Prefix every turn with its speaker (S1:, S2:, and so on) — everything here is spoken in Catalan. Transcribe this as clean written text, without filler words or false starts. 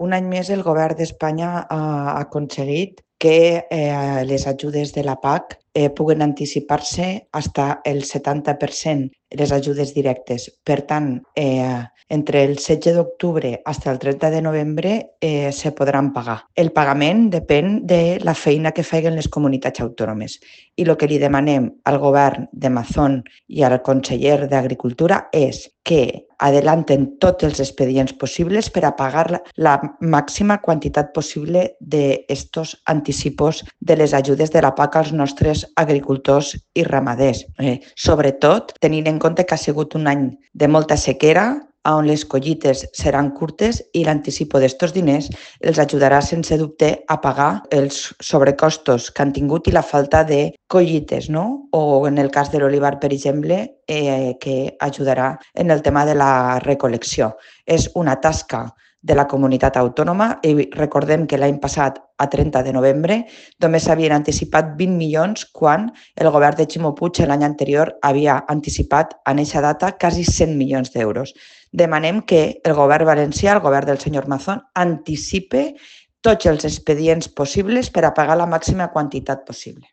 S1: Un any més el govern d'Espanya ha aconseguit que les ajudes de la PAC puguen anticipar-se fins el 70%, les ajudes directes. Per tant, entre el 16 d'octubre fins el 30 de novembre se podran pagar. El pagament depèn de la feina que facin les comunitats autònomes. I el que li demanem al govern de Mazón i al conseller d'Agricultura és que adelanten tots els expedients possibles per a pagar la màxima quantitat possible d'estos anticipos de les ajudes de la PAC als nostres agricultors i ramaders. Sobretot tenint en compte que ha sigut un any de molta sequera, on les collites seran curtes i l'anticipo d'estos diners els ajudarà sense dubte a pagar els sobrecostos que han tingut i la falta de collites, no? O en el cas de l'olivar, per exemple, que ajudarà en el tema de la recol·lecció. És una tasca de la comunitat autònoma i recordem que l'any passat, a 30 de novembre, només s'havien anticipat 20 milions quan el govern de Ximo Puig l'any anterior havia anticipat en aquesta data quasi 100 milions d'euros. Demanem que el govern valencià, el govern del senyor Mazón, anticipe tots els expedients possibles per a pagar la màxima quantitat possible.